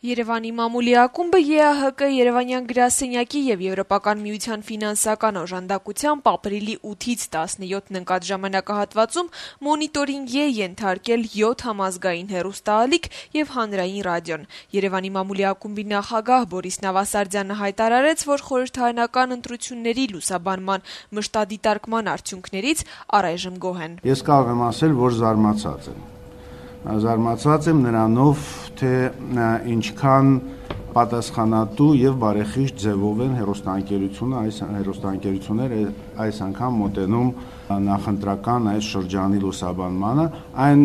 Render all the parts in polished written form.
Երևանի մամուլի ակումբը ԵԱՀԿ Երևանյան գրասենյակի եւ Եվրոպական միության ֆինանսական օժանդակությամբ ապրիլի 8-ից 17-ն ընկած ժամանակահատվածում մոնիտորինգի է ենթարկել 7 համազգային հեռուստաալիք եւ հանրային ռադիոն։ Երևանի մամուլի ակումբի նախագահ Բորիս Նավասարդյանը հայտարարեց, որ խորհրդարանական ընտրությունների լուսաբանման մշտադիտարկման արդյունքներից առայժմ գոհ են։ Ես կարող եմ ասել, որ զարմացած եմ նրանով, թե ինչքան պատասխանատու եւ բարեխիղճ ձևով են հեռուստաընկերությունները այս անգամ մոտենում նախընտրական այս շրջանի լուսաբանմանը, այն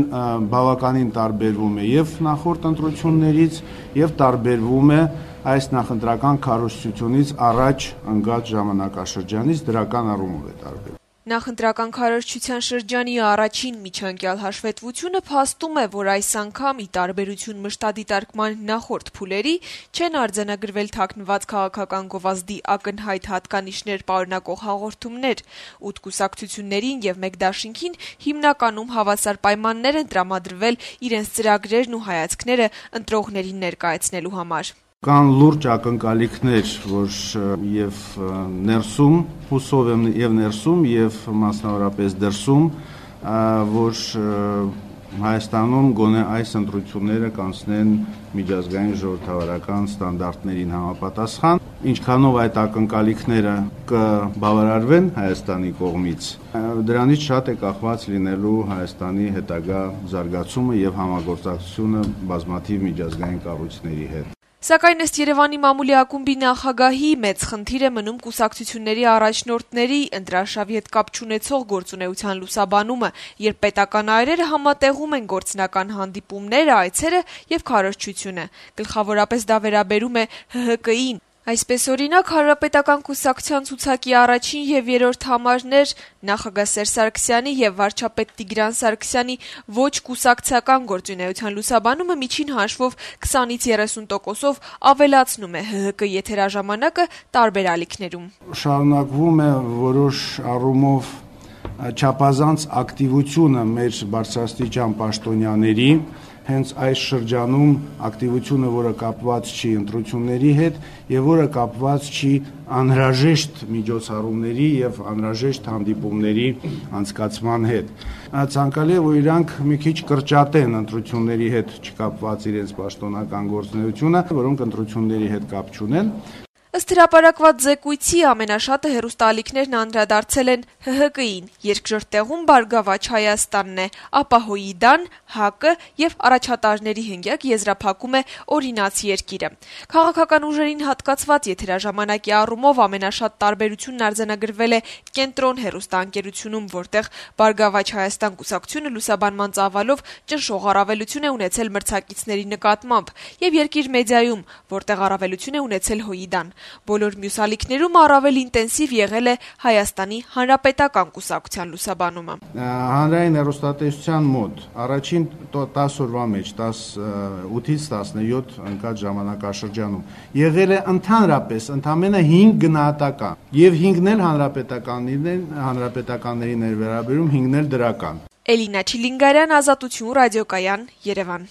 բավականին տարբերվում է եւ նախորդ ընտրություններից եւ տարբերվում է այս նախընտրական քարոզչությունից առաջ ընկած ժամանակաշրջանից դրական առումով է տարբերվում։ Նախընտրական քարոզչության շրջանի առաջին միջանկյալ հաշվետվությունը փաստում է, որ այս անգամ ի տարբերություն մշտադիտարկման նախորդ փուլերի չեն արձանագրվել թաքնված քաղաքական գովազդի ակնհայտ հատկանիշներ պարունակող հաղորդումներ, 8 կուսակցություններին եւ 1 դաշինքին հիմնականում հավասար պայմաններ են տրամադրվել իրենց ծրագրերն ու հայացքները ընտրողներին ներկայացնելու համար։ Կան լուրջ ակնկալիքներ, որ եւ ներսում, հուսով եմ եւ ներսում եւ մասնավորապես դրսում, որ Հայաստանում գոնե այս ընտրությունները կանցնեն միջազգային ժողովրդավարական ստանդարտներին համապատասխան, ինչքանով այդ ակնկալիքները կբավարարվեն Հայաստանի կողմից, դրանից շատ է կախված լինելու Հայաստանի հետագա զարգացումը եւ համագործակցությունը բազմաթիվ միջազգային կառույցների հետ։ Սակայն ըստ Երևանի մամուլի ակումբի նախագահի մեծ խնդիր է մնում կուսակցությունների առաջնորդների ընտրարշավի հետ կապ չունեցող գործունեության լուսաբանումը, երբ պետական այրերը համատեղում են գործնական հանդիպումները, այցերը եւ քարոզչությունը։ Գլխավորապես դա վերաբերում է ՀՀԿ-ին։ Այսպես օրինակ Հանրապետական կուսակցության ցուցակի առաջին եւ երրորդ համարներ նախագահ Սերժ Սարգսյանի եւ վարչապետ Տիգրան Սարգսյանի ոչ կուսակցական գործունեության լուսաբանումը միջին հաշվով 20-ից 30%-ով ավելացնում է ՀՀԿ եթերաժամանակը տարբեր ալիքներում։ Շարունակվում է որոշ առումով չափազանց ակտիվությունը մեր բարձրաստիճան պաշտոնյաների հենց այս շրջանում ակտիվությունը, որը կապված չի ընտրությունների հետ եւ որը կապված չի անհրաժեշտ միջոցառումների եւ անհրաժեշտ հանդիպումների անցկացման հետ։ Ցանկալի է, որ իրանք մի քիչ կրճատեն ընտրությունների հետ չկապված իրենց պաշտոնական գործունեությունը, որոնք ընտրությունների հետ կապ չունեն։ Ըստ հրապարակված զեկույցի ամենաշատը հեռուստաալիքներն անդրադարձել են ՀՀԿ-ին, երկրորդ տեղում Բարգավաճ Հայաստանն է, ապա ՀՅԴ-ն, ՀԱԿ-ը եւ առաջատարների հնգյակ եզրափակում է Օրինաց երկիրը։ Քաղաքական ուժերին հատկացված եթերաժամանակի առումով ամենաշատ տարբերությունն արձանագրվել է Կենտրոն հեռուստաընկերությունում, որտեղ Բարգավաճ Հայաստան կուսակցությունը լուսաբանման ծավալով ճնշող առավելություն է ունեցել մրցակիցների նկատմամբ, եւ Երկիր մեդիայում, որտեղ առավելություն է ունեցել ՀՅԴ-ն։ Բոլոր մյուս ալիքներում առավել ինտենսիվ եղել է Հայաստանի Հանրապետական կուսակցության լուսաբանումը։ Հանրային հեռուստատեսության մոտ առաջին 10 օրվա մեջ 8-ից 17 ընկած ժամանակաշրջանում եղել է ընդհանրապես ընդամենը 5 գնահատական եւ 5-ն էլ հանրապետականներին էր վերաբերում, 5-ն էլ դրական։ Էլինա Չիլինգարյան, Ազատություն ռադիոկայան, Երևան։